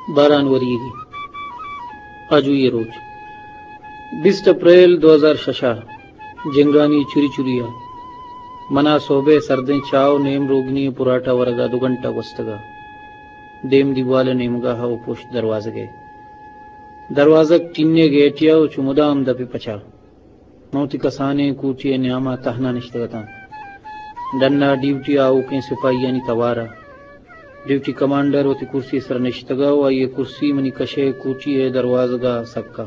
باران وریگی۔ آجوئی ءِ روچ، بیست اپریل دو ہزار شش ءَ، جنگانی چری چری ءَ منا سہب ءِ سردیں چاہ ءُ نیم روگنی ءِ پراٹا ورگ ءَ دو گھنٹہ گوستگ ءَ۔ دیم دیوال ءِ نیمگا ءَ ءُ پشت دروازگ ءِ۔ دروازگ ٹین ءِ گیٹے ءَ ءُ چو مدام دپ ءِ پچ ءَ۔ من وتی کسانیں کوٹی ءِ نیام ءَ تہنا نشتگ اتاں۔ ڈن ءَ ڈیوٹی ءِ آؤکیں سپاہیانی توار ءَ۔ ڈیوٹی کمانڈر وتی کرسی ءِ سرا نشتگ ءَ ءُ آئی ءِ کرسی منی کش ءِ کوٹی ءِ دروازگ ءَ سک ءَ۔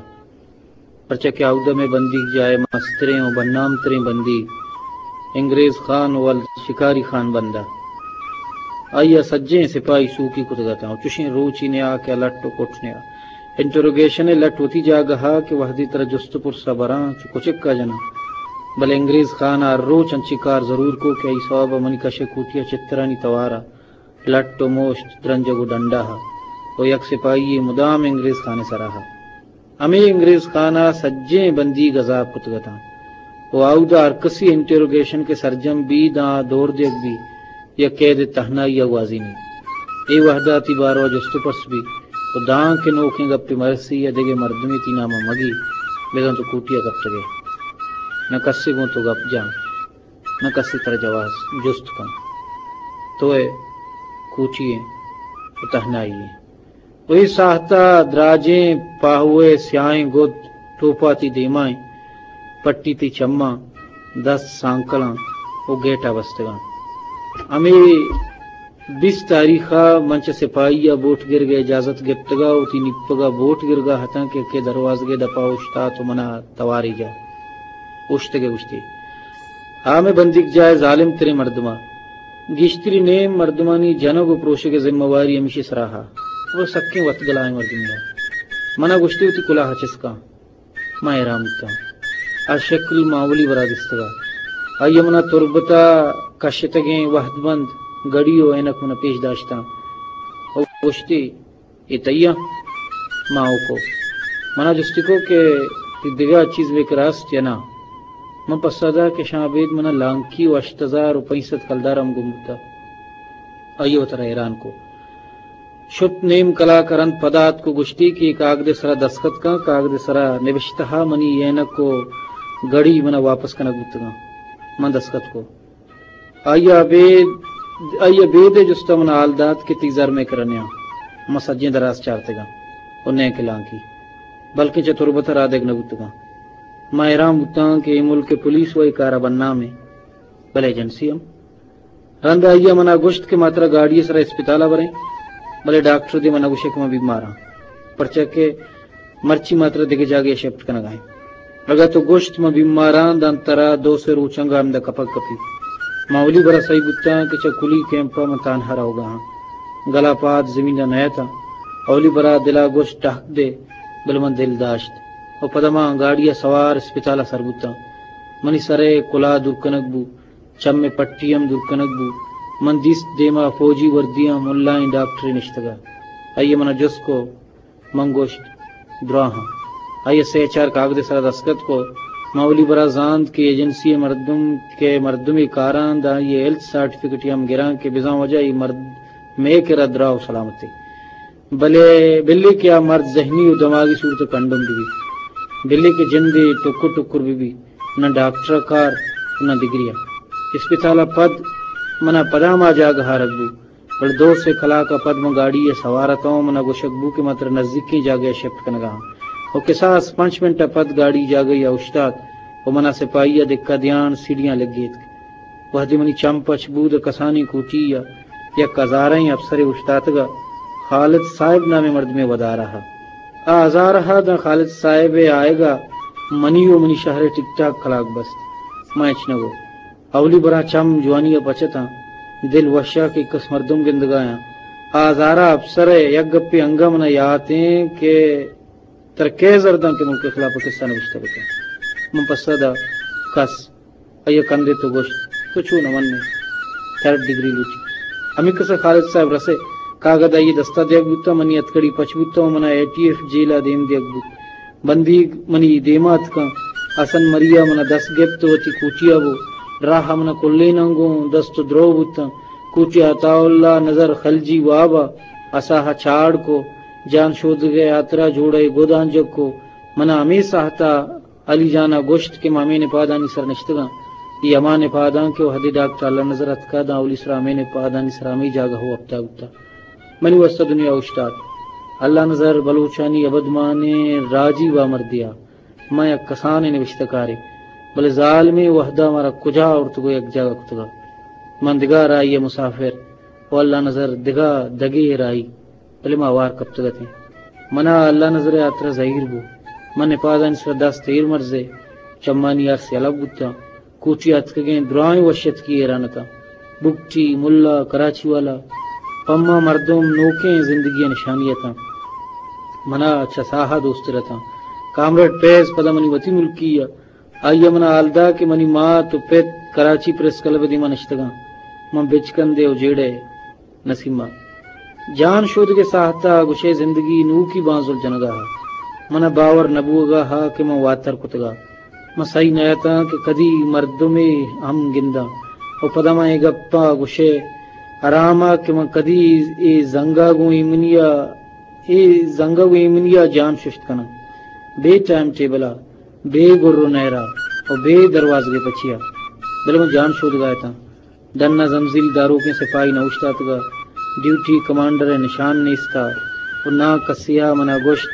پرچا کہ آودا مئے بندیگ جاہ ءِ مستریں ءُ بدنام تریں بندیگ انگریز خان ولد شکاری خان بندہ۔ آئی ءَ سجہیں سپاہی سوکی کتگ اتاں ءُ چشیں روچی نیا کہ لٹ ءُ کٹ نیا۔ انٹروگیشن ءِ لٹ وتی جاگہ ءَ کہ وہدے ترا جست ءُ پرس ءَ براں چو کچک ءَ جناں، بلے انگریز خان ءَ ہر روچ انچیں کار ضرور کو کہ آئی سوب ءَ منی کش ءِ کوٹی ءِ چترانی توار ءَ لٹ ءُ موشت درنجگ ءُ ڈنڈا ءَ ءُ یک سپاہی یے مدام انگریز خان ءِ سرا ءَ۔ ہمے انگریز خان ءَ سجہیں بندیگ عذاب کتگ اتاں ءُ آودا ہر کسی انٹروگیشن کہ سرجم بی داں دور دیگ بی، یک قید تہنائی ءَ گوازینی۔ اے وہدا تئی باروا جست ءُ پرس بی ءُ داں کہ نوکیں گپے مرسی یا دگہ مردمے تئی نام ءَ مگی، بزاں تو کوٹی ءَ کپتگ ئے۔ نہ کسے گوں تو گپ جاں، نہ کسے ترا جواز جست کن۔ تو ئے کوٹی ئے ءُ تہنائی ئے۔ ءُ اے ساہت ءَ دراجیں پاہو ءِ سیاہیں گد ٹوپا تئی دیما ایں، پٹی تئی چماں، دست سانکلاں ءُ گیٹ ءَ بستگاں۔ ہمے بیست تاریخ ءَ من چہ سپاہی ءَ بوٹ گرگ ءِ اجازت گپتگ ءَ وتی نیپگ ءَ بوٹ گرگ ءَ اتاں کہ کہ دروازگ ءِ دپ ءَ اوشتات ءُ من ءَ توارے جا اوشتگ ءَ گوشتی، آ مئے بندیگ جاہ ءِ ظالم تریں مردماں۔ گیشتری نیم مردمانی جنگ ءُ پروشگ ءِ ذمہ واری ہمیشی سرا ءَ ءُ سکیں وتگلائیں مردمے ءَ۔ من ءَ گوشتی وتی کلاہ ءَ چست کن۔ من حیران بوتاں۔ آ شکل من اولی برا دیستگ ءَ۔ آئی ءَ من ءَ تربت ءَ کشتگیں وہد بند گھڑی ءُ عینک من ءَ پیش داشتاں ءُ گوشتی، اے تئی آں؟ من ہو کو۔ من ءَ جستی کو کہ تئی دگہ چیز بکر است یا ناں؟ من پسہ دات کہ شاں ابید من ءَ لانکی ءُ ہشت ہزار ءُ پنچ سد کلدار ہم گم بوتگ۔ آئی ءَ وترا حیران کو۔ شت نیم کلاک ءَ رند پدا اتک ءُ گوشتی کہ اے کاگد ءِ سرا دستخط کن، کاگد ءِ سرا نبشتہ ءَ منی عینک ءُ گھڑی من ءَ واپس کنگ بوتگاں۔ من دستخط کو۔ آئی ءَ ابید، آئی ءَ ابید ءِ جست ءَ من ءَ حال دات کہ تئی زر مئے کرا نیاں۔ من سجہیں دراز چارتگاں ءُ نئیکہ لانکی، بلکیں چہ تربت ءَ رادگ نہ بوتگاں۔ من حیران بوتاں کہ اے ملک ءِ پولیس وَ اے کار ءَ بدنام ایں، بلے ایجنسی ہم۔ رند ءَ آئی ءَ من ءَ گوشت کہ ما ترا گاڑی ءِ سرا اسپتال ءَ بریں، بلے ڈاکٹر دے من ءَ گوشے کہ من بیمار آں، پرچا کہ مرچی ما ترا دگہ جاگہے ءَ شفٹ کنگ ءَ ایں۔ اگاں تو گوشت من بیمار آں، داں ترا دو سے روچ انگہ ہمدا کپگ کپی۔ من اولی برا سہی بوتاں کہ چہ کلی کیمپ ءَ من تانہا روگ ءَ آں۔ گل ءَ پاد زمین ءَ نئیت آں۔ اولی برا دل ءَ گوشت ٹہک دے، بلے من دل داشت ءُ پدا من گاڑی ءَ سوار اسپتال ءَ سر بوتاں۔ منی سر ءِ کلاہ دور کنگ بو۔ چم ءِ پٹی ہم دور کنگ بو۔ من دیست دیما فوجی وردیاں ملائیں ڈاکٹرے نشتگ ءَ۔ آئی ءَ من ءَ جست کو، من گوشت، دراہاں۔ آئی ءَ سے چار کاگد ءِ سرا دستخط کو۔ من اولی برا زانت کہ ایجنسی ءِ مردم کہ مردمے کاراں داں آئی ءِ ہیلتھ سرٹیفکیٹے ہم گراں کہ بزاں وجہ اے مرد مئے کرا دراہ ءُ سلامت ایں۔ بلے، بلے کہ آ مرد ذہنی ءُ دماغی صورت ءَ کنڈم بہ بیت، بلے کہ جندے ٹکر ٹکر بہ بیت، نہ ڈاکٹر ءَ کار، نہ دگرے ءَ۔ اسپتال ءَ پد من ءَ پدا ہما جاگہ ءَ آرگ بو، بلے دو سے کلاک ءَ پد من گاڑی ءَ سوار اتاں، من ءَ گوشگ بو کہ من ترا نزیکیں جاگہے ءَ شفٹ کنگ ءَ آں۔ ءُ کساس پنچ منٹ ءَ پد گاڑی جاگہے ءَ اوشتات ءُ من ءَ سپاہی ءَ دکہ دیان سیڑھیاں لگیتک۔ وہدے منی چم پچ بوت، کسانیں کوٹی ءَ یک ہزارہیں افسرے اوشتاتگ ءَ، خالد صاحب نامیں مردمے ودار ءَ۔ آ ہزار ءَ داں خالد صاحب ءِ آیگ ءَ منی ءُ منی شہر ءِ ٹک ٹاک کلاگ بست۔ من ہچ نہ گو۔ اولی براں چم جوانی ءَ پچ اتاں، دل وش ءَ کہ کس مردم گندگ ءَ آں۔ آ ہزار ءَ افسر ءِ یک گپے انگہ من ءَ یات ایں کہ ترا کئے زر داں کہ ملک ءِ خلاف ءَ کسہ نبشتہ بکن؟ من پسہ دات، کس۔ آئی ءَ کندت ءُ گوشت، تو چو نہ من ئے؟ تھرڈ ڈگری لوٹی۔ ہمے کسہ خالد صاحب رسے، کاگد آئی ءِ دست ءَ دیگ بوت ءُ منی ہتکڑی پچ بوت ءُ من ءَ اے ٹی ایف جیل ءَ دیم دیگ بوت۔ بندیگ منی دیم ءَ اتکاں، حسن مری ءَ من ءَ دست گپت ءُ وتی کوٹی ءَ برت۔ راہ ءَ من ءَ کلیناں گوں دست ءُ درو بوتاں۔ کوٹی ءَ عطا اللہ، نظر خلجی واب ءَ اساہ ءَ چاڑ کو۔ جان شودگ ءِ ہاترا جوڑہ ءِ گد آنجو کو۔ منا ہمے ساہتا علی جان ءَ گوشت کہ ما ہمے نپادانی سر نشتگاں۔ اے ہما نپاداں کہ وہدے ڈاکٹر اللہ نظر اتکا داں اولی سرا ہمے نپادانی سرا ہمے جاگہ ءَ ہپتا بوتا۔ منی واسطہ دنیا اوشتات۔ اللہ نظر بلوچانی ابدمانیں راجی بامردیا۔ من یک کسانیں نبشتہ کارے، بلے ظالمیں وہدا مارا کجا آورتگ ءُ یک جاگہ کتگ۔ من دگہ راہی ءِ مسافر ءُ اللہ نظر دگہ دگے راہی، بلے ما ہوار کپتگ اتیں۔ منا اللہ نظر ءِ ہاترا زہیر بو۔ من نپادانی سرا دست ایر مرزے، چمانی ارس یلہ بوتاں۔ کوٹی اتکگیں درائیں وش اتکی ایران اتاں۔ بگٹی، ملا، کراچی والا، پما مردم نوکیں زندگی ءِ نشانی اتاں۔ منا چہ ساہ ءَ دوستر اتاں۔ کامریڈ فیض پدا منی وتی ملکی ءَ۔ آئی ءَ منا حال دا کہ منی مات ءُ پت کراچی پریس کلب ءِ دیما نشتگاں۔ من بچکندے ءُ جیڑہ نسیمہ۔ جان شودگ ءِ ساہتا گوشئے زندگی نوکی بانزل جنگا ہا۔ منا باور نہ بوگا ہا کہ من واتر کتگا۔ من سہی نہ اتاں کہ کدی مردمے ہم گنداں۔ ءُ پدا من اے گپا گوشئے آراما کہ من کدی اے زنگا گوں ایمنیا، اے زنگا گوں ایمنیا جان ششت کناں۔ بے ٹائم ٹیبلا، بے گر ءُ نہرا ءُ بے دروازگے پچیا۔ بلے من جان شودگا اتاں۔ ڈن ءَ زمزیل داروکیں سپاہی نہ اوشتاتگ ءُ ڈیوٹی کمانڈر ءِ نشان نیست ءُ نا کسے ءَ منا گوشت،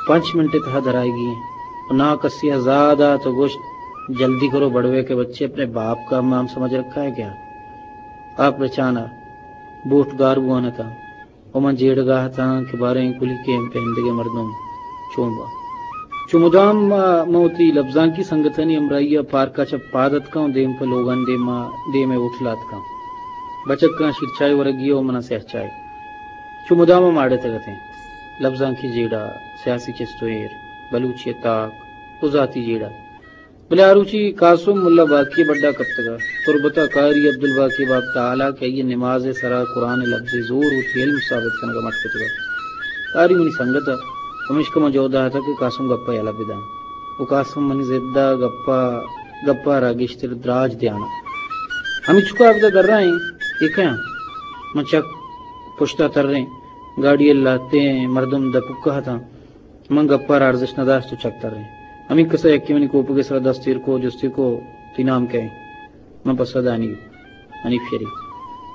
پنچ منٹ ءِ تہا درائیگی ایں۔ ءُ نا کسے ءَ زاہ دات ءُ گوشت، جلدی کرو بڑوے کے بچے، اپنے باپ کا نام سمجھ رکھا ہے کیا؟ آپ رچان ءَ بوٹ گار بوان اتاں۔ ءُ من جیڑگا اتاں کہ باریں کلی کیمپ ءِ ایندگہ مردم چون باں۔ چو مدام ما، من وتی لبزانکی سنگتانی ہمراہی ءَ پارک ءَ چہ پاد اتکاں ءُ دیم پہ لوگانی دیم ءَ، دیم ءِ ہوٹل ءَ اتکاں۔ بچکاں شیرچائے ورگی ءُ منا سیاہ چائے۔ چو مدام ما اڑتگ اتیں۔ لبزانکی جیڑہ، سیاسی چست ءُ ایر، بلوچی ءِ تاک ءُ ذاتی جیڑہ۔ بلے آ روچی قاسم ملا باقی بڈا کپتگا۔ تربتا قاری عبدالباقی باب تعالی کہ آئی نماز سرا قرآن لفظ زور وتی علم ثابت کنگا مٹ کتگا۔ قاری منی سنگتا، پمیشکا من جہد داتا کہ قاسم گپا یلہ بداں۔ و قاسم منی ضدا گپا، گپا را گیشتر دراج دیانا۔ ہمینچکا ابدا درائیں، ایکیاں۔ من چک پشتا تریں، گاڑی لاتیں، مردم دپکا ہتاں۔ من گپا را ارزش نداشت و چک تریں۔ ہمینکسا یکے منی کوپگے سرا دست ایر کو، جستی کو، تئی نام کئے؟ من پسہ دانی، حنیف شریف۔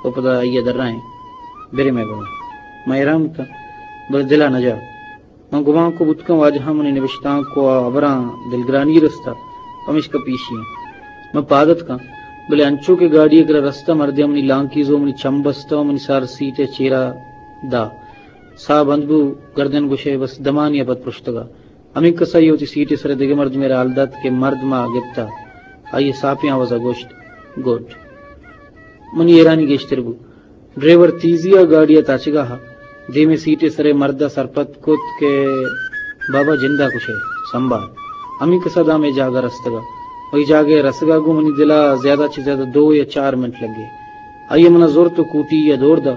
و پدا آئیا درائیں، برے مئے گوما۔ من حیران بوتاں، بلے دلا نجا۔ من گمان کو بوتکاں واجہاں منی نبشتانک و ہبراں دلگرانی رستا، پمیشکا پیشی ایں۔ من پاد اتکاں، بلے انچو کہ گاڑی ء کرا رستہ مردے منی لانکیزو منی چم بستہ و منی سر سیٹ ء چیرا دا۔ ساہ بند بو، گردن گوشئے بس دمانی ء پد پرشتگا۔ ہمینکسا آئی ء وتی سیٹے سرا دگہ مردمے را حال دات کہ مرد ما گپتا۔ آئی ء ساپیں آوازا گوشت، گڈ۔ منی حیرانی گیشتر بو۔ ڈرائیور تیزی ء گاڑی ء تاچگا ہا۔ دیمے سیٹے سرے مرد ء سرپد کت کہ بابا جندا کشئے، سنبھال۔ ہمینکسا داں مئے جاگہ رستگا۔ و اے جاگہ ء رسگا گوں منی دلا زیادہ چہ زیادہ دو یا چار منٹ لگے۔ آئی ء منا زرت و کوٹی ء دور دا،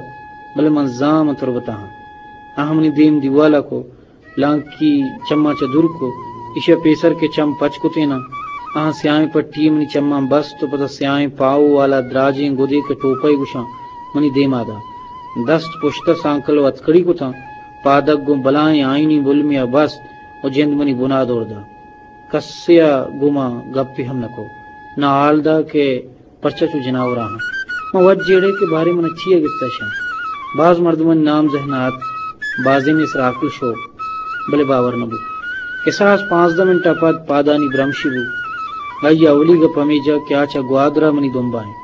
بلے من زان من تربتا ہاں۔ آہاں منی دیم دیوالا کو، لانکی چماں چہ دور کو، ایشی ء پیسر کہ چم پچ کتیناں، آہاں سیاہیں پٹی منی چماں بست و پدا سیاہیں پاہو والا دراجیں گدے کہ ٹوپہ ء گوشاں، منی دیما دا۔ دست پشت ء سانکل و ہتکڑی کتاں، پادگ گوں بلاہیں آئینی بلمے ء بست و جند منی بنا دور دا۔ کسے ء گوما گپے ہم نہ کو، نہ حال دا کہ پرچا چو جناور آہاں۔ من وت جیڑے کہ باریں من چیا گپتا شاں۔ باز مردمانی نام ذہن ء ات، بازینے سرا عقل شو، بلے باور نہ بو۔ کساس پانزدہ منٹ ء پد پادانی برمشی بو۔ آئی ء اولی گپ ہمے جا کہ آ چہ گوادر ء منی دمبا انت۔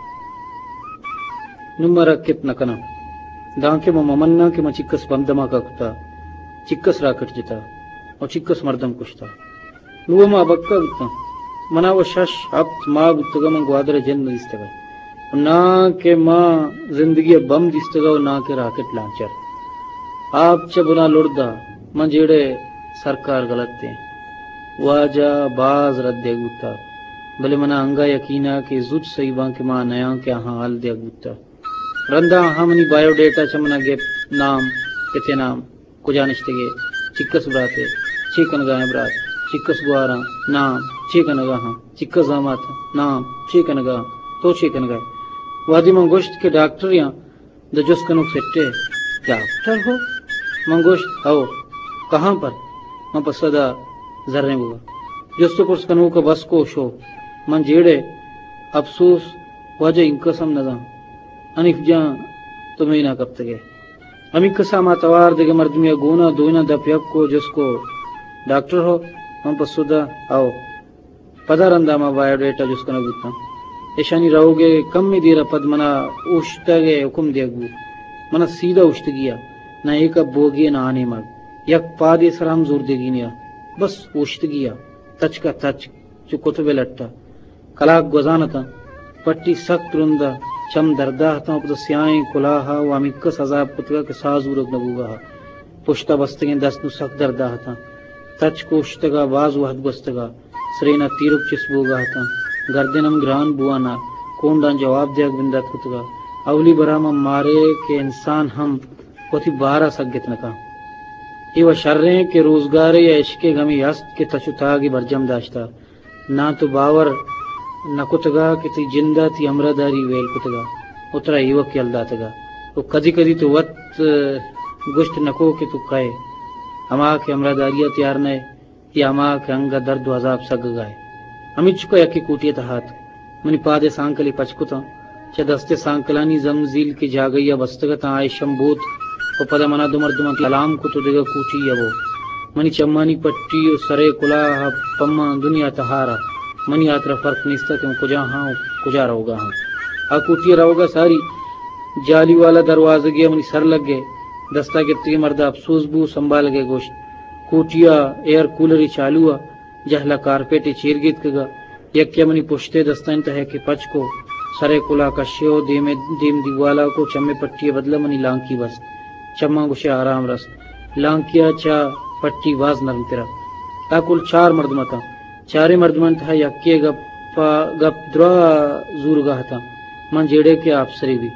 نوں من رکت نہ کناں، دانکہ من ممناں کہ من چکس بم دھماکہ کتا، چکس راکٹ جتا و چکس مردم کشتا۔ نوں ما ابکہ بوتاں۔ منا و شش ہپت ماہ بوتگا من گوادر ء جند نہ دیستگا۔ و ناں کہ ما زندگی ء بم دیستگا و ناں کہ راکٹ لانچر۔ آپ چہ بنا لڑدا، من جیڑے سرکار غلط ایں۔ واجہ باز رد دیگ بوتا، بلے منا انگا یقین ء کہ زوت سہی باں کہ ما نیاں کہ آہاں حال دیگ بوتا۔ رندا آہاں منی بایو ڈیٹا چہ منا گپت، نام، پت ء نام، کجا نشتگے، چکس براتے، چے کنگا ایں برات، چکس گواراں، نام، چے کنگا ہاں، چکس زامات، نام، چے کنگا، تو چے کنگا ئے؟ وہدے من گوشت کہ ڈاکٹر یاں، داں جست کنوک سٹے، ڈاکٹر ہو؟ من گوشت، ہئو، کہاں پر؟ من پسہ دا، زریں بوگا۔ جست و پرس کنوک بس کو شو۔ من جیڑے، اپسوس، واجہ انکس ہم نزان۔ حنیف جان، تو مینا کپتگے۔ ہمینکسا ہما توار دگہ مردمے گونا دوئیناں دپ یک کو جست کو، ڈاکٹر ہو؟ من پسو دا، ہئو۔ پدا رندا ما بایوڈیٹا جست کنگ بوتاں۔ ایشانی روگ ء کمے دیر ء پد منا اوشتگ ء حکم دیگ بوت۔ منا سیدھا اوشتگی ء، نہ ایک ء بوگی ء نہ آ نیمگ۔ یک پادے سرا ہم زور دیگی نیا۔ بس اوشتگی ء، تچک ء تچک، چو کتب ء لٹ ء۔ کلاک گوزان اتاں۔ پٹی سک ترند ء، چم دردا اتاں، پدا سیاہیں کلاہ ء و ہمینکس عذاب کتگ ء کہ ساہ زورگ نہ بوگا ء۔ پشت ء بستگیں دست نوں سک دردا اتاں۔ تچک اوشتگ ء باز وہد گوستگ ء۔ سرین ء تیرک چست بوگا اتاں۔ گردن ہم گران بوان ء، کونڈاں جواب دیگ بندات کتگ ء۔ اولی برا من مارے کہ انسان ہم وتی بار ء سگت نہ کن۔ اے و شریں کہ روزگارے یا عشقے گمی ہست کہ تچ و تاگے برجم داشتہ۔ ناں تو باور نہ کتگ ء کہ تئی جند ء تئی ہمراہداری ویل کتگ ء و ترا ایوک یل داتگ ء و کدی کدی تو وت، ء، گوشت نہ کو کہ تو کئے، ہما کہ ہمراہداری ء تیار نہ ئے یا ہما کہ انگہ درد و عذاب سگگا ئے۔ ہمینچکا یکے کوٹی ء تہا اتک۔ منی پاد ء سانکلے پچ کتاں۔ چہ دست ء سانکلانی زمزیل کہ جاگہی ء بستگ اتاں، آ ایشم بوت و پدا منا دو مردماں سلام کت و دگہ کوٹی ء بو۔ منی چمانی پٹی و سر ء کلاہ ء پماں دنیا تہار ء۔ منی ہاترا فرق نیست ات کہ من کجا ہاں و کجا روگا ہاں۔ آ کوٹی ء روگا ساری جالی والا دروازگے ء منی سر لگے۔ دستا گپتگیں مردا اپسوز بو، سنبھالگے گوشت، کوٹی ء ایئر کولرے چالو ء، جہلا کارپیٹے چیر گیتکگا۔ یکے منی پشتے دستانی تہا کہ پچ کو، سرے کلا کشے و دیم، دیم دیوالا کو، چمے پٹی بدلا منی لانکی بست۔ چماں گوشے آرام رست۔ لانکیا چا پٹی باز نرم ترا۔ تا کل چار مردم اتاں۔ چارے مردمانی تہا یکے گپا، گپ درا زورگا اتاں۔ من جیڑے کہ آپسرے بی۔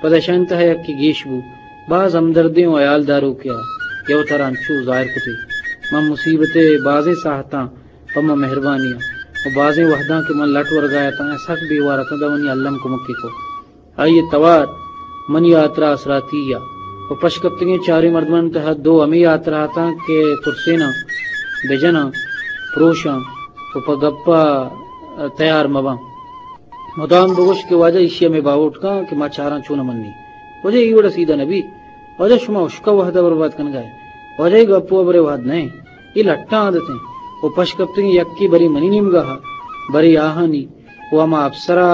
پدا اشانی تہا یکے گیش بو۔ باز ہمدردیں و ہیال داروکے آ، کہ وتارا انچو ظاہر کتے۔ من مصیبت ء بازیں ساہتاں پہ من مہربانی ء و بازیں وہداں کہ من لٹ ورگا اتاں، سک بے وار اتاں، داں منی الم کمکے کو۔ آئی ء توار منی ہاترا آسراتی ء و پشکپتگیں چاریں مردمانی تہا دو ہمے ہاترا اتاں کہ ترسیناں، بجناں، پروشاں و پہ گپا تیار مباں۔ مدام بگوش کہ واجہ ایشی ہمے باہوٹ کن کہ ما چاراں چون منی۔ واجہ اے وڑا سیدھا نہ بی۔ واجہ شما اشکا وہدا برباد کنگا ئے۔ واجہ اے گپ و ہبرے وہد نہ ایں۔ اے لٹاں عادت ایں۔ و پش کپتگیں یکے برے منی نیمگا ہا، برے آہانی۔ و ہما افسرا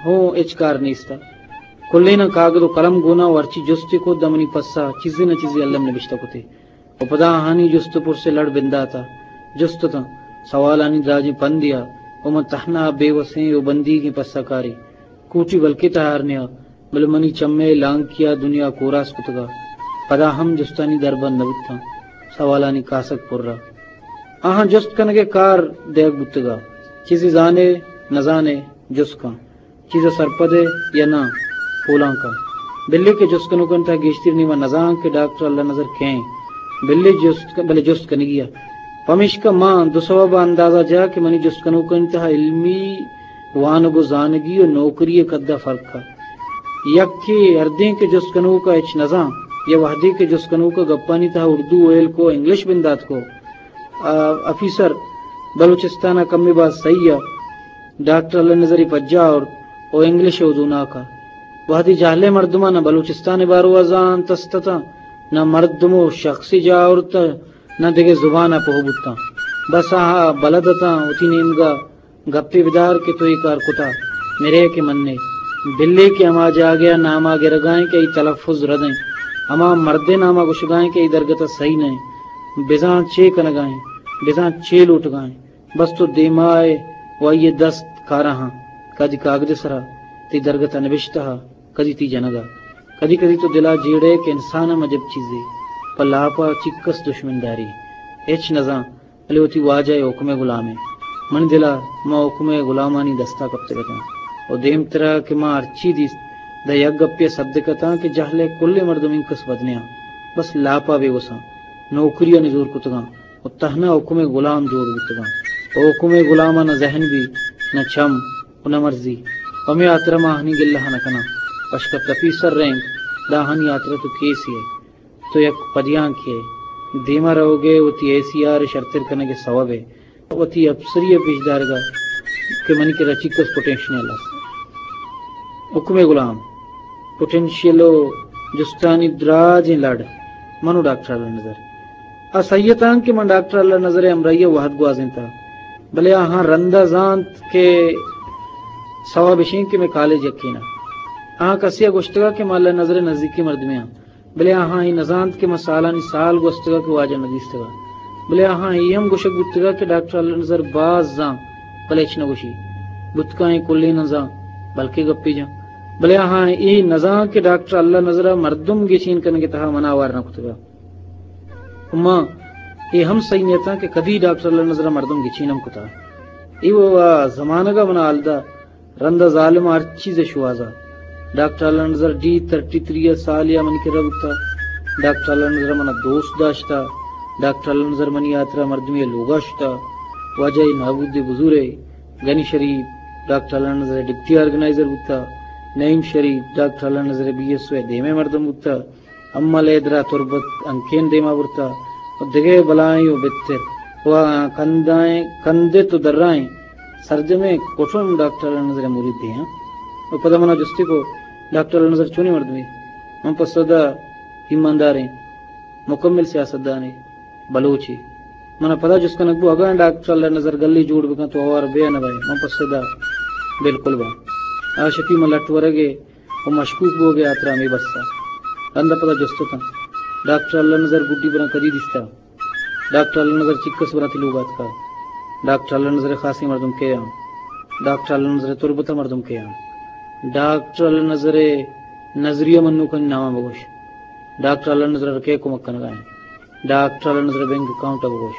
ہوں ہچ کار نیستا۔ کلیناں کاگد و قلم گونا و ہرچی جستے کت داں منی پسا چیزے نہ چیزے الم نبشتہ کتے۔ و پدا آہانی جست و پرس ء لڑ بندات ء جست اتاں۔ سوالانی دراجیں پندے ء و من تہنا بے وسیں و بندیگیں پسہ کارے۔ کوٹی بلکیں تہار نیا، بلے منی چم ء لانکی ء دنیا کوراس کتگ ء پدا ہم جستانی دربند نہ بوتاں۔ سوالانی کاسگ پر ء آہاں جست کنگ ء کار دیگ بوتگ ء چیزے زانے نہ زانے جست کن۔ چیز ء سرپد ئے یا ناں؟ پولان کن۔ بلے کہ جست کنوکانی تہا گیشتر نیما نزان کہ ڈاکٹر اللہ نظر کئے ایں۔ بلے جست ک-، بلے جست کنگی ء۔ پمیشکا ما دو سوب ء اندازہ جا کہ منی جست کنوکانی تہا علمی وانگ و زانگی و نوکری ء قد ء فرق ء۔ یکے ہردیں کہ جست کنوک ء ہچ نزان، یا وہدے کہ جست کنوک ء گپانی تہا اردو ویل کو، انگلش بندات کو، آ، آفیسر بلوچستان ء کمے باز سہی ء ڈاکٹر اللہ نظری پجا آورت و انگلش ء ودوناک ء۔ وہدے جہلیں مردماں نہ بلوچستان ء باروا زانت است اتاں، نہ مردم و شخصے جاہ آورت ء نہ دگہ زبان ء پوہ بوتاں۔ بس آہاں بلد اتاں وتی نیمگا گپے بدار کہ تو اے کار کتا، مرے کہ منے۔ بلے کہ ہما جاگہ ء ناما گرگائیں کہ ای تلفظ ردیں، ہما مردے ناما گوشگائیں کہ ای درگت ء سہی نئیں، بزاں چے کنگائیں، بزاں چے لوٹگائیں۔ بس تو دیما ئے و آئی ء دست کاراں ہاں، کدی کاگد ء سرا، تئی درگت ء نبشتہ ء، کدی تئی جنگ ء۔ کدی کدی تو دل ء جیڑ ئے کہ انسان ہم عجب چیزے، پہ لاپ ء چکس دشمنداری، ہچ نزان، بلے وتی واجہ ء حکم ء غلام ئے۔ منی دل ء ما حکم ء غلامانی دست ء کپتگ اتاں و دیمتر ء کہ ما ہرچی دیست، داں یک گپے ء صدک اتاں کہ جہل ء کلیں مردم انکس بد نیاں، بس لاپ ء بے وساں، نوکری ء نزور کتگاں۔ و تہنا حکم ء غلام جوڑ بوتگاں۔ و حکم ء غلام ء نہ ذہن بی، نہ چم و نہ مرضی۔ پمے ہاترا ما آہانی گلہ ء نہ کناں۔ پشکپت افیسر رینک، داں آہانی ہاترا تو کیسے ئے۔ تو یک پدیانکے دیما روگے، وتی اے سی آر شرتر کنگے سوبے، وتی اپسری پیش دارگا کہ منی کرا چی کس پوٹینشیل است۔ حکم غلام، پوٹینشیل و جستانی دراجیں لڑ، منو ڈاکٹر اللہ نظر۔ آ سہی اتاں کہ من ڈاکٹر اللہ نظر ء ہمراہی ء وہد گوازینتا، بلے آہاں رندا زانت کہ سوب اشیں کہ مئے کالج یکین ء۔ آہاں کسے ء گوشتگا کہ ما اللہ نظر ء نزیکی مردمے آں، بلے آہاں اے نزانت کہ ما سالانی سال گوستگا کہ واجہ ندیستگا۔ بلے آہاں اے ہم گوشگ بوتگا کہ ڈاکٹر اللہ نظر باز زان، بلے ہچ نگوشی۔ بوتکا ایں کلیں نزان، بلکہ گپے جان۔ بلے آہاں اے نزان کہ ڈاکٹر اللہ نظر ء مردم گچین کنگ ء تہا منا آوار نہ کتگا۔ و ما اے ہم سہی نیتاں کہ کدی ڈاکٹر اللہ نظر ء مردم گچین ہم کتا۔ اے و زمانگ ء منا حال دا، رند ء ظالم ء ہر چیز ء شوہازا۔ ڈاکٹر اللہ نظر ڈی تھرٹی تھری ء سال یا منی کرا بوتا۔ ڈاکٹر اللہ نظر ء منا دوست داشتا۔ ڈاکٹر اللہ نظر منی ہاترا مردمی ء لوگا شتا۔ واجہ ء نابود بزور ء غنی شریف ڈاکٹر اللہ نظر ء ڈپٹی آرگنائزر بوتا۔ نعیم شریف ڈاکٹر اللہ نظر ء بی ایس او ء دیمے مردم بوتا۔ امل حیدرا تربت ہنکین دیما برتا و دگہ بلائیں و بہتر و کندائیں، کندت و درائیں سرجمیں کٹم ڈاکٹر اللہ نظر ء مرید دیاں۔ و پدا منا جستی کو، ڈاکٹر اللہ نظر چونیں مردمے؟ من پسو دا، ایمانداریں، مکمل سیاستدانے، بلوچے۔ منا پدا جست کنگ بو، اگاں ڈاکٹر اللہ نظر گلی جوڑ بکن تو ہوار بے نہ بئے؟ من پسو دا، بالکل باں۔ آ شپی من لٹ ورگے و مشکوک بوگ ء ہاترا ہمے بس ء۔ رند ء پدا جست اتاں، ڈاکٹر اللہ نظر گڈی براں کدی دیستا؟ ڈاکٹر اللہ نظر چکس براں تئی لوگ ء اتکا؟ ڈاکٹر اللہ نظر ء خاصیں مردم کئے آں؟ ڈاکٹر اللہ نظر ء تربت ء مردم کئے آں؟ ڈاکٹر اللہ نظر ء نظریہ منوکانی ناماں بگوش۔ ڈاکٹر اللہ نظر ء کئے کمک کنگا انت؟ ڈاکٹر اللہ نظر ء بینک اکاؤنٹ ء بگوش۔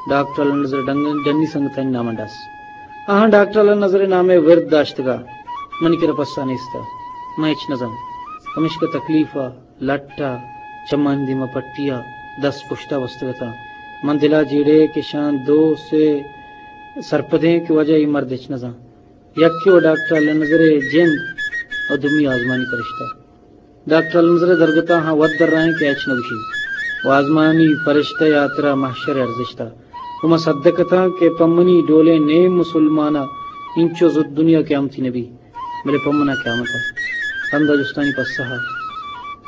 ڈاکٹر اللہ نظر ء ڈنگ-، ڈنی سنگتانی نام ء ڈس۔ آہاں ڈاکٹر اللہ نظر ء نام ء ورد داشتگا، منی کرا پسہ نیست ء۔ من ہچ نزانت۔ پمیشکا تکلیف ء، لٹ ء، چمانی دیما پٹی ء، دست پشت ء بستگ اتاں۔ من دل ء جیڑے کہ شان دو سے سرپدیں کہ واجہ اے مرد ہچ نزانت۔ یکے و ڈاکٹر اللہ نظر ء جند و دومی آزمانی پرشتہ۔ ڈاکٹر اللہ نظر ء درگتاں ہاں وت درائیں کہ ہچ نگوشی و آزمانی پرشتہ ء ہاترا محشر ء ارزشت ء۔ و من صدق اتاں کہ پہ منی ڈولیں نیم مسلمان ء انچو زد دنیا قیامتی نبی، بلے پہ من ء قیامت ء۔ رند ء جستانی پسہ ء،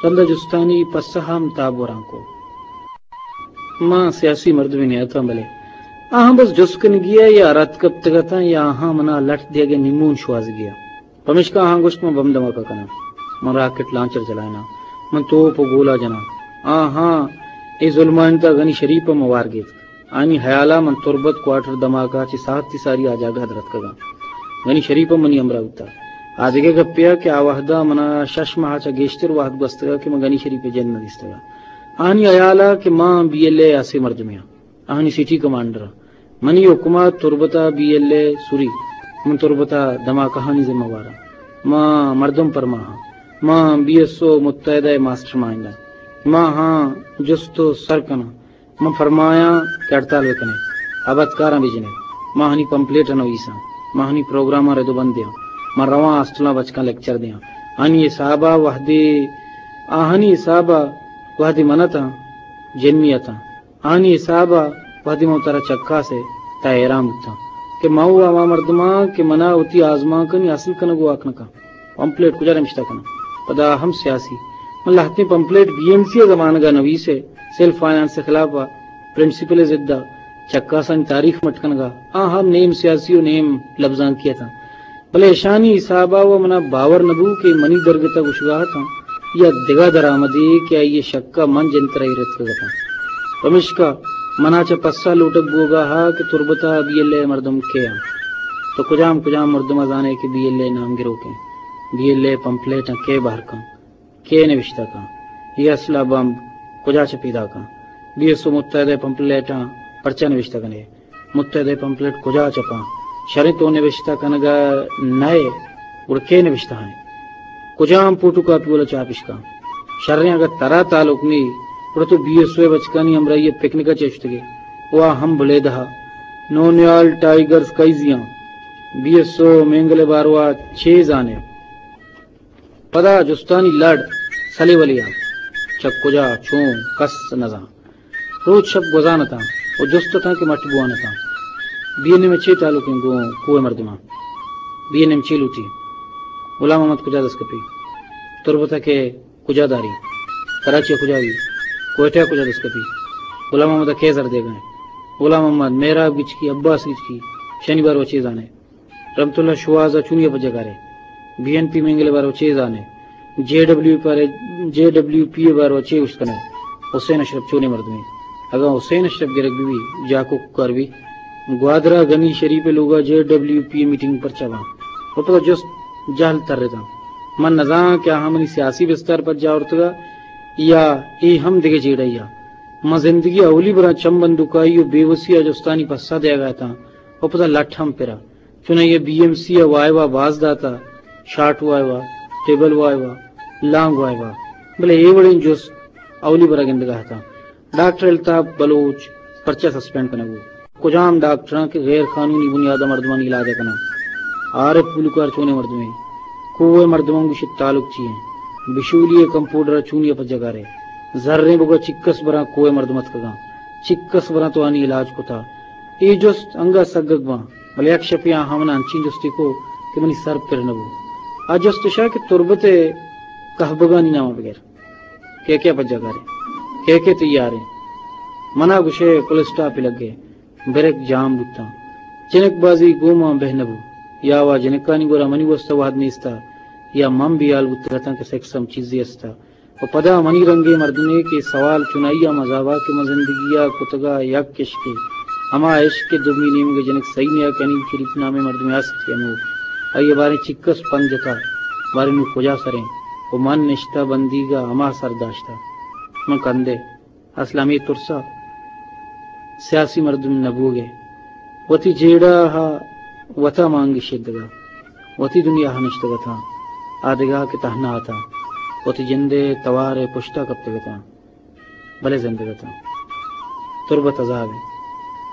رند ء جستانی پسہ ء ہم تاب وران کو۔ من سیاسی مردمے نیاتاں، بلے آہاں بس جست کنگی ء یا رد کپتگ اتاں یا آہاں منا لٹ دیگ ء نیمون شوہازگی ء۔ پمیشکا آہاں گوشت، من بم دھماکہ کناں، من راکٹ لانچر چلائیناں، من توپ و گولہ جناں۔ آہاں اے ظلمانی تہا غنی شریف ء ہوار گیتک۔ آنی ہیالا من تربت کوارٹر دھماکہ چہ ساعتی ساری آ جاگہ ء درتکگاں۔ غنی شریف ء منی ہمراہ بوتا۔ آ دگہ گپے ء کہ آ وہدا منا شش ماہ چہ گیشتر وہد گوستگا کہ من غنی شریف ء جند نہ دیستگا۔ آنی ہیالا کہ ما بی ایل اے ء ہاسیں مردمے آں۔ آہانی سٹی کمانڈر ء منی حکم ء تربت ء بی ایل اے سری، من تربت ء دھماکہانی ذمہ وار آں۔ ما مردم پرماہ آں۔ ما بی ایس او متحدہ ء ماسٹر مائنڈ آں۔ ما ہاں جست و سر کناں۔ من فرمایاں کہ ہڑتال بہ کنیں، ابدکاراں بہ جنیں۔ ما آہانی پمپلیٹ ء نویساں۔ ما آہانی پروگراماں رد و بند دیاں۔ ما رواں ہاسٹلاں بچکاں لیکچر دیاں۔ آہانی حساب ء وہدے، آہانی حساب ء وہدے من اتاں، جنی اتاں۔ آنی حساب ء وہدے من ترا چکاس ء تہ حیران بوتاں کہ من و ہما مردماں کہ منا وتی آزمانکانی حاصل کنگ ء واک نہ کن۔ پمپلیٹ کجا نبشتہ کناں؟ پدا ہم سیاسی۔ من لہتیں پمپلیٹ بی ایم سی ء زمانگ ء نویس ء سیلف فائنانس ء خلاف ء پرنسپل ء ضد ء چکاسانی تاریخ مٹ کنگ ء آ ہم نیم سیاسی و نیم لبزانکی اتاں۔ بلے اشانی حساب ء و منا باور نہ بو کہ منی درگت ء گوشگا اتاں یا دگہ درآمدے کہ آئی ء شک ء من جنتر ء ایر اتکگ اتاں۔ پمیشکا منا چہ پسہ لوٹگ بوگا ات کہ تربت ء بی ایل اے مردم کئے انت؟ تو کجام کجام مردم ء زانئے کہ بی ایل اے نام گروک انت؟ بی ایل اے پمپلیٹاں کئے بہر کنت؟ کئے نبشتہ کنت؟ اے اسلحہ بمب کجا چہ پیداک انت؟ بی ایس او متحدہ پمپلیٹاں پرچا نبشتہ کنئے؟ متحدہ پمپلیٹ کجا چپاں؟ شریں تو نبشتہ کنگا نئے، گڑا کئے نبشتہ ہانے؟ کجام فوٹو کاپی والا چاپشکاں؟ شریں اگہ ترا تعلق نی، گڑا تو بی ایس او ء بچکانی ہمراہی ء پکنک ء چہ شتگے؟ وا ہم بلیدہ ء۔ نونیال ٹائیگرز کئی زیاں؟ بی ایس او مینگل ء باروا چے زانے؟ پدا جستانی لڑ سلے ولے آں۔ چہ کجا، چون، کس نزان۔ روچ شپ گوزان اتاں و جست اتاں کہ مٹ بوان اتاں۔ بی این ایم ء چے تعلق انت گوں کوہ مردماں؟ بی این ایم چے لوٹی؟ غلام محمد کجا دست کپی؟ تربت ء کہ کجا داری؟ کراچی ء کجا بی؟ کوئٹہ ء کجا دست کپی؟ غلام محمد ء کئے زر دیگا انت؟ غلام محمد، مہراب گچکی، عباس گچکی، شنی بارو چے زانے؟ رحمت اللہ شواز ء چونی ء پجا کارے؟ بی این پی مینگل ء بارو چے زانے؟ جے ڈبلیو پی، جے ڈبلیو پی ء بارو چے اشکنے؟ حسین اشرف چونے مردمے؟ اگاں حسین اشرف گرگ بی، جاکو کار بی، گوادر ء غنی شریف ء لوگ ء جے ڈبلیو پی ء میٹنگ پرچا باں؟ و پدا جست جہل ترتاں۔ من نزاناں کہ آہاں منی سیاسی بستار پجا آورتگ ء یا اے ہم دگہ جیڑہ یا۔ من زندگی ء اولی براں چم بندوکائی و بے وسی ء جستانی پسہ دیگ ء اتاں و پدا لٹ ہم پرا۔ چونائی ء بی ایم سی ء وائوا باز داتا، شارٹ وائوا، ٹیبل وائوا، لانگ وائوا، بلے اے وڑیں جست اولی برا گندگا اتاں۔ ڈاکٹر الطاف بلوچ پرچا سسپینڈ کنگ بوت؟ کجام ڈاکٹراں کہ غیر قانونی بنیاد ء مردمانی علاج ء کناں؟ عارف گلوکار چونیں مردمے؟ کوہ ء مردماں گوشت تعلق چی انت؟ بشولی ء کمپاؤڈر ء چونی ء پجگارے؟ زریں بگا چکس براں کوہ ء مردم اتکگاں؟ چکس براں تو آنی علاج کتا؟ اے جست انگا سگگ باں، بلے یک شپے آہاں من انچیں جستے کو کہ منی سر پر نہ بو۔ آ جست اشا کہ تربت ء کہبگانی نام بگر کئے کئے پجا کارے؟ کئے کئے تیاریں؟ منا گوشے پل اسٹاپ لگے، بریک جام بوتاں۔ جنک بازی گوما بہ نہ بو۔ یا وا جنکانی گورا منی واسطہ وہد نیستا، یا من بیال بوتگتاں کہ سیکس ہم چیزے استا۔ و پدا منی رنگیں مردمے کہ سوال چنائی ء مزابا کہ من زندگی ء کتگا یک عشقے، ہما عشق کہ دومی نیمگ ء جنک سہی نیا کنی شریف نامیں مردمے است کہ انو آئی ء باریں چکس پند جتا، باریں نوں کجا سریں؟ و من نشتہ بندیگ ء ہما سر داشتہ۔ من کندے۔ اصل ہمے ترسا سیاسی مردم نہ بوگے۔ وتی جیڑہ ء وتا مانگی شدگا۔ وتی دنیا ء نشتگ اتاں، آ دگہ کہ تہنا اتاں، وتی جند ء توار ء پشت ء کپتگ اتاں، بلے زندگ اتاں۔ تربت عذاب انت۔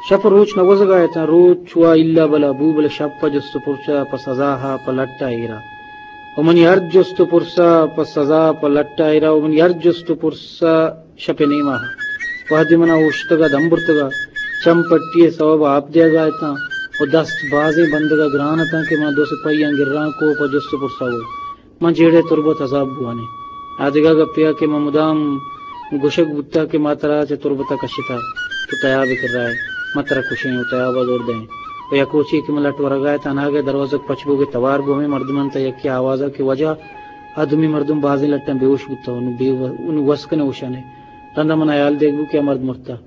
شپ ء روچ نہ گوزگا اتاں، روچ وا الا بلا بو، بلے شپ ء جست ء پرس ء پہ سزا ء پہ لٹ ء ایرا۔ و منی ہر جست ء پرس ء پہ سزا ء پہ لٹ ء ایرا، و منی ہر جست ء پرس ء شپ ء نیما وہدے منا اوشتگ ء دم برتگ ء چم پٹی ء سوب ء آپ دیگ ء اتاں و دست بازیں بندگ ء گران اتاں کہ من دو سپاہیاں گراں کو پہ جست ء پرس ء بو۔ من جیڑہ تربت عذاب بوانیں۔ آ دگہ گپے ء کہ من مدام گوشگ بوتگ کہ ما ترا چہ تربت ء کشتگ، تو تیاب ء کرا ئے، ما ترا کشیں و تیاب ء دور دئیں۔ و یک روچے کہ من لٹ ورگ ء ات، اناگہ دروازگ پچ بوگ ء توار بو، ہمے مردم انت یکے آواز ء کہ واجہ، آ دومی مردم بازیں لٹاں بے ہوش بوتگ، انوں بے و-، انوں وس کن ء ہوشانے۔ رندا من ہیال دیگ بو کہ آ مرد مرتگ۔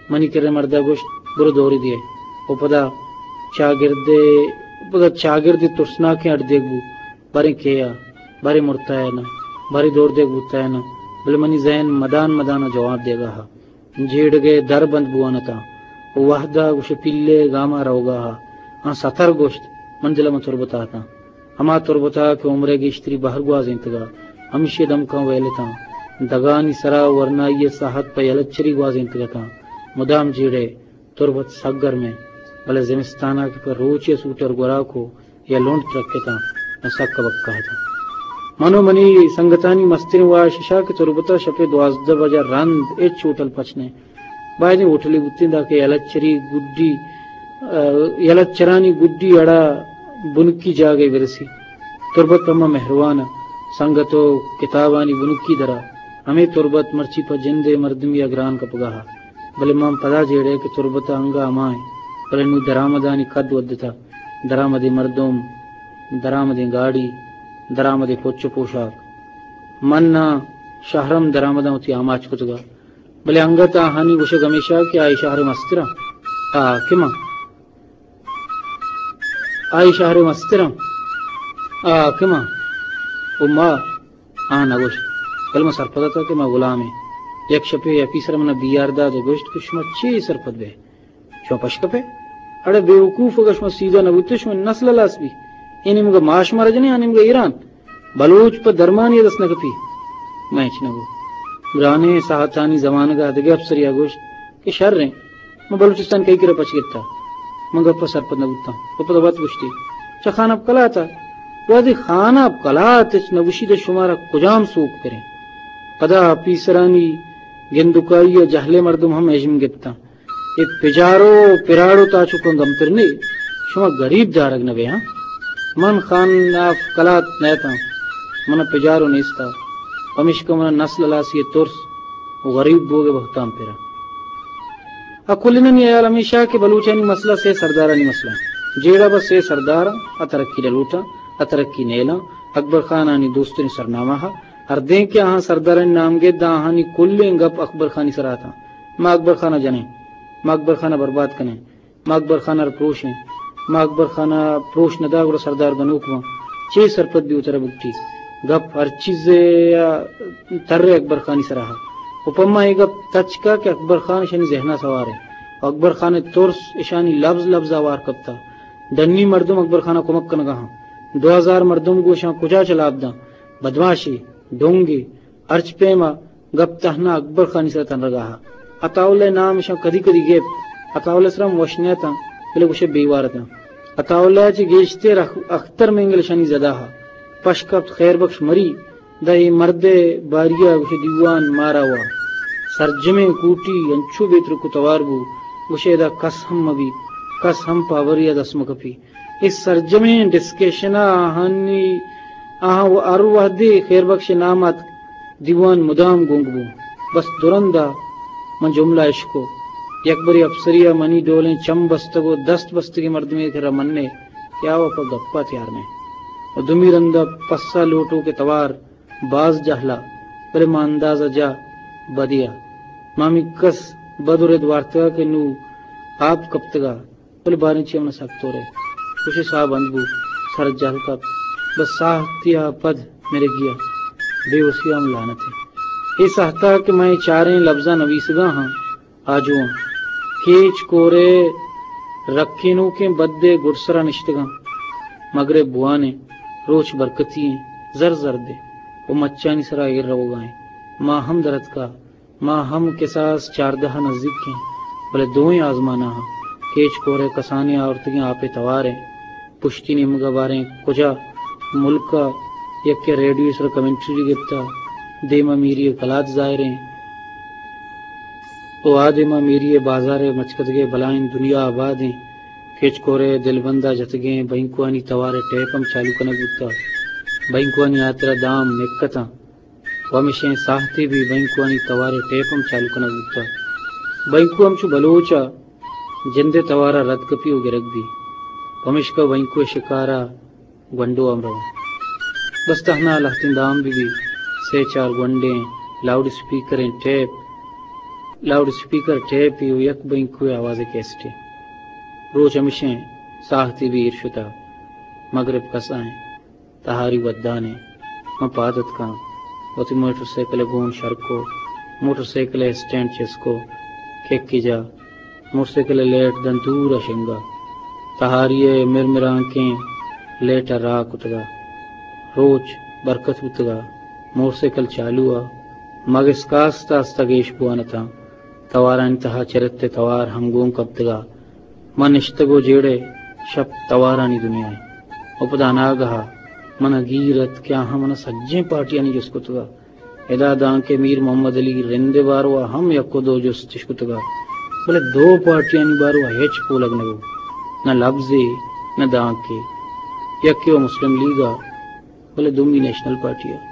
منی کرا مردا گوشت، برو دوری دیئے۔ و پدا چاگرد، پدا چاگرد ترسناکیں اڈ دیگ بو۔ باریں کئے ء، باریں مرتگ ء نہ، باریں دور دیگ بوتگ ء نہ، بلے منی ذہن مدان مدان ء جواب دیگ ء ات۔ جیڑگ ء در بند بوان اتاں۔ و وہد ء گوش پیلے گام ء روگ ء ات۔ آں ستر گوشت، من دل ء من تربت ء اتاں۔ ہما تربت ء کہ عمر ء گیشتری بہر گوازینتگ ء، ہمیشی ء دمکاں ویل اتاں۔ دگانی سرا ورنائی ء ساہت پہ یلچری گوازینتگ اتاں۔ مدام جیڑے تربت سک گرمیں، بلے زمستان ء کہ پہ روچے سوٹر گورا کو یا لنڈ ترکتاں، من سک کبکہ اتاں۔ من و منی سنگتانی مستریں واہش اشا کہ تربت ء شپ ء دوازدہ بجہ رند ہچ ہوٹل پچ نہ۔ بائدیں ہوٹلے بوتیں داکہ یلچری گڈی، ء، یلچرانی گڈی اڑا بنکی جاگہے برسی۔ تربت پہ ما مہروان ء سنگت و کتابانی بنکی درا۔ ہمے تربت مرچی پہ جند ء مردمی ء گران کپگا ات۔ بلے من پدا جیڑے کہ تربت ء انگہ ہما انت، بلے نوں درآمدانی قد ودتہ، درآمدیں مردم، درآمدیں گاڑی، درآمدیں پچ و پوشاک۔ من ناں شہرم درآمداں وتی آماچ کتگا، بلے انگت آہانی گوشگ ہمیشہ کہ آئی شہر مستراں۔ آ کہ من آئی شہر مستراں۔ آ کہ من و ما آ نہ گوشت، بلے من سرپد اتاں کہ ما غلامیں۔ یک شپے آفیسر منا بی آر دات و گوشت کہ شما چے سرپد بے؟ شما پشکپے؟ اڑے بے وقوف، اگہ شما سیدھا نہ بوتے، شما نسل ہلاس بی۔ اے نیمگا ما شما رجنے، آ نیمگا ایران۔ بلوچ پہ درمانی دست نہ کپی۔ من ہچ نہ گو۔ گرانیں ساہتانی زمانگا دگہ افسریا گوشت کہ شریں، من بلوچستان کئی کرا پچ گپتا؟ من گپا سرپد نہ بوتاں۔ و پدا وت گوشتی، چہ خان اب کلاتا؟ وہدے خان اب کلات ہچ نہ گوشی، دے شمارا کجام سوک کریں؟ پدا آپیسرانی گندکائی ء جہلیں مردم ہم ہژم گپتاں۔ اے پجارو پراڑو تاچکاں گمتر نے، شما گریب دارگ نہ بے ہاں۔ من خان آف کلات نیتاں، من پجارو نیستا، پمشکا من نسل ہلاسی ء ترس و غریب بوگ ء بہتام پرا۔ ء کلینانی ہیال ہمیشہ کہ بلوچانی مسئلہ سے سردارانی مسئلہ انت۔ جیڑہ بس سے سرداراں ء ترقی نہ لوٹاں ء ترقی نیلاں۔ اکبر خانانی دوستانی سرنامہ ء ہردیں کہ آہاں سردارانی نام گپت داں آہانی کلیں گپ اکبر خانی سرا اتاں۔ ما اکبر خان ء جنیں، ما اکبر خان ء برباد کنیں، ما اکبر خان ء را پروشیں، ما اکبر خان ء پروش نہ داں گڑا سردار گنوک باں۔ چے سرپد بی وترا بگٹی؟ گپ ہر چیزے ء تر اکبر خانی سرا ء۔ و پما اے گپ تچکا کہ اکبر خان اشانی ذہن ء سوار انت۔ و اکبر خان ء ترس اشانی لبز لبز ء ہوار کپتا۔ ڈنی مردم اکبر خان ء کمک کنگا ہاں۔ دو ہزار مردم گوں اشاں کجا چلاب داں؟ بدماشی، ڈونگی، ہرچ پیما گپ تہنا اکبر خانی سرا تنرگا ہا۔ عطاء اللہ نام اشاں کدی کدی گپت۔ عطاء اللہ سرا ہم وش نیتاں، بلے گوشے بیوار اتاں۔ عطاء اللہ چہ گیشتر اخ-، اختر مینگل اشانی زدا ہا۔ پش کپت خیر بخش مری، دا اے مرد ء باری ء گوشے دیوان مارا وا۔ سرجمیں کوٹی انچو بے ترک و توار بو، گوشے ادا کس ہم مہ بی، کس ہم پہ ہوری ء دست مہ کپی۔ اے سرجمیں ڈسکشن ء آہانی، آہاں و ہر وہدے خیر بخش ء نام اتک، دیوان مدام گنگ بو۔ بس درند ء من جملہ اشکو۔ یک برے اپسری ء منی ڈولیں چم بستگ و دست بستگیں مردمے کرا منّے کہ آ و پہ گپ ء تیار نہ انت۔ و دومی رند ء پسہ لوٹوک ء توار باز جہلا، بلے ما اندازہ جا بدیا۔ ما ہمینکس بد و رد وارتگا کہ نوں آپ کپتگا۔ بلے باریں چی ہم نہ سک تورے۔ خوشی ساہ بند بو، سر جہل کپت۔ بس ساہتیا پد مرگیا بے وسی ہم لعنتے۔ اے ساہتا کہ من اے چاریں لبزاں نویسگا ہاں، آجواں۔ کیچ کورے رکینوکیں بدے گڈسرا نشتگاں۔ مگرب بوانے، روچ برکتی ایں، زر زردے و مچانی سرا ایر روگا ایں۔ ما ہم درتکا۔ ما ہم کساس چاردہ ء نزیک ایں، بلے دوئیں آزماناں کیچ کور ء کسانیں آورتگیں آپ ء توار ء پشتی نیمگ ء باریں کجا ملک ء یکے ریڈیو ء سر ء کمنٹری گپتہ، دیم ء میری ء کلات ظاہر ایں۔ او آ دیم ء میری ء بازار ء مچکدگ ء بلائیں دنیا آباد ایں۔ کیچ کور ء دلبند ء جتگیں بینکوانی توار ء ٹیپ ہم چالو کنگ بوتہ۔ بینکوانی ہاترا دام نکتاں۔ و ہمشیں ساہتے بی بینکوانی توار ء ٹیپ ہم چالو کنگ بوتہ۔ بینکو ہم چو بلوچ ء جند ء توار ء رد کپی و گرگ بی۔ پمیشکا بینکو ء شکار ء گونڈو ہم رواں۔ بس تہنا لہتیں دام بہ بی، سے چار گونڈیں لاؤڈ اسپیکریں ٹیپ، لاؤڈ اسپیکر ٹیپے و یک بینکو ء آواز ء کیسٹے۔ روچ ہمشیں ساہتے بی ایر شتہ۔ مگرب کسا ایں۔ تہاری ودان ء من پاد اتکاں، وتی موٹر سائیکل ء گون شر کو، موٹر سائیکل ء اسٹینڈ چست کو، ککی جا، موٹر سائیکل ء لیٹ داں دور ء شنگا، تہاری ء مرمرانکیں لیٹ ء راہ کتگا۔ روچ برکت بوتگا، موٹر سائیکل چالو ء، مگس کاست آستہ گیش بوان اتاں۔ توارانی تہا چرت ء توار ہنگون کپتگا۔ من نشتگ و جیڑہ شپ توارانی دنیا ء۔ و پدا اناگہ ء من ء گیر ات کہ آہاں من ء سجیں پارٹیانی جست کتگ ء ادا دانکہ میر محمد علی رند ء باروا ہم یک و دو جست اش کتگ ء، بلے دو پارٹیانی باروا ہچ پولگ نہ بوت، نہ لبزے نہ دانکے۔ یکے و مسلم لیگ ء، بلے دومی نیشنل پارٹی ء۔